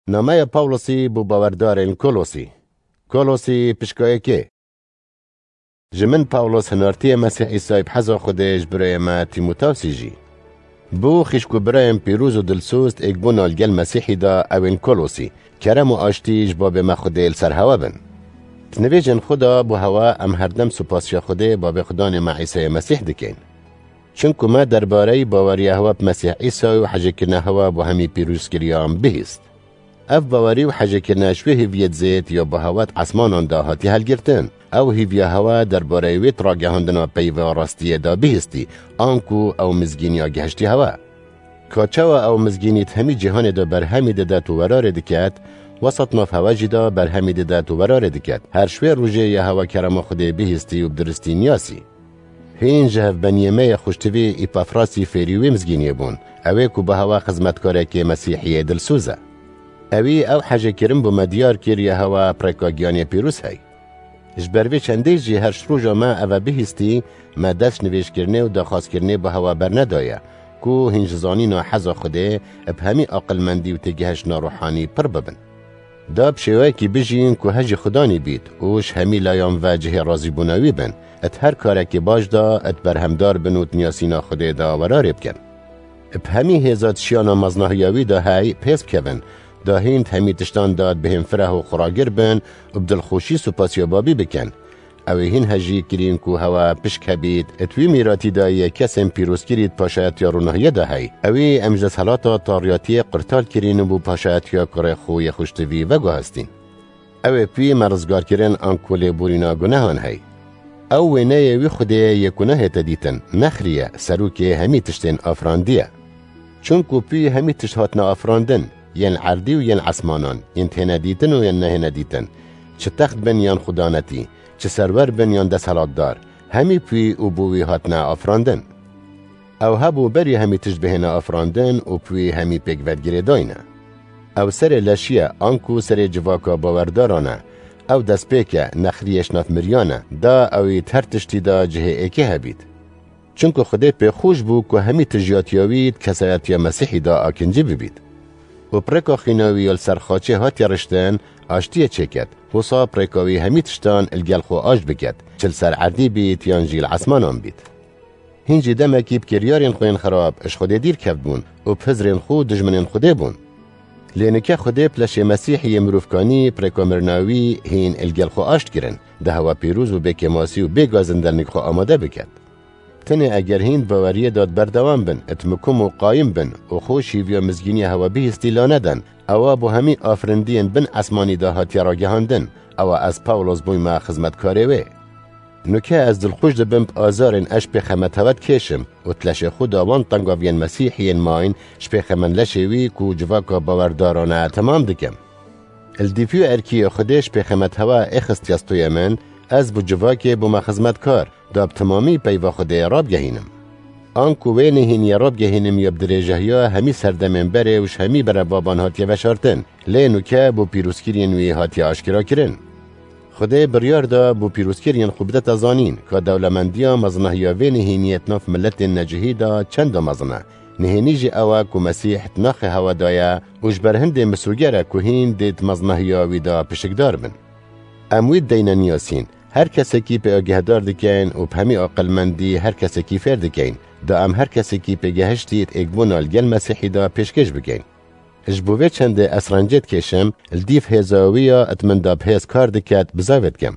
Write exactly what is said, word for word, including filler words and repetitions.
Nameya Pawlosî bo bawerdarên Kolosî. Kolosî pişka yekê. Ji min Pawlos hinartiyê Mesîh Îsayê bi heza Xwedê ji birayê me Tîmotawsî jî. Bo xîşk û birayên pîroz û dilsoz êkbûna li gel Mesîhî de ewên Kolosî, kerem û aştî ji babê me Xwedê li ser hewe bin. Di nivêjên xwe de bo hewe em herdem supasiya Xwedê babê Xudanê me Îsayê Mesîh dikin. Çunku me derbareyî baweriya hewe bi Mesîh Îsayê û hejêkirina hewe bo hemî pîrozkiriyan bihîst. Ev bawerî û hejêkirina ji wê hêviyê dizêt ya bi hewe di esmanan de hatiye helgirtin. Ew hêviya hewe derbareyê wê di ragihandina peyva rastiyê de bihîstî, anku ew mizgîniya gihiştî hewe. Ka çawa ew mizgînî di hemî cîhanê de berhemî didet û werarê diket, wesat nav hewe jî de berhemî didet û werarê diket. Her ji wê rojê ya hewe kerema Xwedê bihîstî û bi diristî niyasî. Hîn ji hevbeniyê me yê xweştivî Îpafrasî fêrî wê mizgîniyê bûn. Ew ê ku bi hewe xizmetkarekê Mesîhî yê dilsoz e. Ewî ew hejêkirin bo me diyar kir ya hewe bi rêka giyanê pîroz hey. Ji ber vê çendê jî her ji roja me eve bihîstî, me dest ji nivêjkirinê û daxwazkirinê bi hewe bernedaye, ku hîn ji zanîna heza Xwedê bi hemî aqilmendî û têgihiştina ruhanî pir bibin. Da bi şêweyekî bijîn ku hejî Xudanî bît û ji hemî layan ve cihê razîbûna wî bin, di her karekê baş de di berhemdar bin û di niyasîna Xwedê de werarê bikin. Bi hemî hêza di şiyana meznahiya wî de hey pês bikevin, da hîn di hemî tiştan de di bihên fireh û xuragir bin û bi dilxweşî supasiya Babî bikin. Ew ê hîn hejî kirîn ku hewe pişk hebît, di wî mîratî de yê kesên pîrozkirî di paşayetiya ronahiyê de hey. Ewî em ji desthilata tariyatiyê qurtal kirîn û bo paşayetiya kurê xwe yê xweştivî veguhastîn. Ew ê pî me rizgar kirin anku lêborîna gunehan hey. Ew wêneyê wî Xwedê ye yê ku nahête dîtin, nexrî ye, serokê hemî tiştên afirandî ye. Çunku pî hemî tişt hatine afirandin, yên erdî û yên esmanan, yên têne dîtin û yên nehêne dîtin, çi text bin yan xudanetî, çi serwer bin yan desthilatdar, hemî pî û bo wî hatine afirandin. Ew hebû berî hemî tişt bihêne afirandin û bi wî hemî pêk ve girêdayî ne. Ew serê leşî ye, anku serê civaka bawerdaran e. Ew destpêk e, nexriyê ji nav miriyan e, da ew ê di her tiştî de cihê êkê hebît. Çunku Xwedê pê xweş bû ku hemî tijiyatiya wî di kesayetiya Mesîhî de akincî bibît. Û bi rêka xîna wî ya li ser xaçê hatiye riştin, aştiyê çêket, wisa bi rêka wî hemî tiştan li gel xwe aşt biket, çi li ser erdî bît yan jî li esmanan bît. Hîn jî demekî bi kiryarên xwe yên xirab ji Xwedê dîr kevtbûn û bi hizrên xwe dijminên Xwedê bûn. Lê nike Xwedê bi leşê Mesîhî yê mirovkanî bi rêka mirina wî hîn li gel xwe aşt kirin, di hewa pîroz û bê kêmasî û bê gazin dernik xwe amade biket. Tenê eger hîn di baweriyê de berdewam bin, di mikum û qayim bin û xwe şîviya mizgîniya hewa bihîstî la neden, ewa bo hemî afirindiyên bin esmanî de hatiye ragihandin, ewa ez Pawlos bûyme xizmetkarê wê. Nuke ez dilxweş dibim bi azarên ez ji pêxemet hewe dikêşim û di leşê xwe de wan tengaviyên Mesîhî yên mayîn ji pêxemen leşê wî ku civaka bawerdaran e temam dikim. Li dîfî û erkî yê Xwedê ji pêxemet hewe ê xistiye stûyê min, ez bi civakê bûme xizmetkar, da bi temamî peyva Xwedê rabgehînim. Anku wê nehêniyê rabgehînim ya bi dirêjehiya hemî serdemên berê û ji hemî berebaban hatiye veşartin, lê nuke bo pîrozkiriyên wî hatiye aşkera kirin. Xwedê biryar da bo pîrozkiriyên xwe bidete zanîn, ka dewlemendiya mezinahiya vê nehêniyê di nav miletên necihî de çenda mezin e. Nehênî jî ew e ku Mesîh di naxê hewe de ye û ji ber hindê misûger e ku hîn dê di mezinahiya wî de pişikdar bin. Em wî deyne niyasîn, her kesekî pê agehdar dikeyn û bi hemî aqilmendî her kesekî fêr dikeyn, da em her kesekî pê gehiştî di êkbûna li gel Mesîhî de pêşkêş bikeyn. Ji bo vê çendê ez rencê dikêşim, li dîv hêza wî ya di min de bi hêz kar diket, bizavê dikim.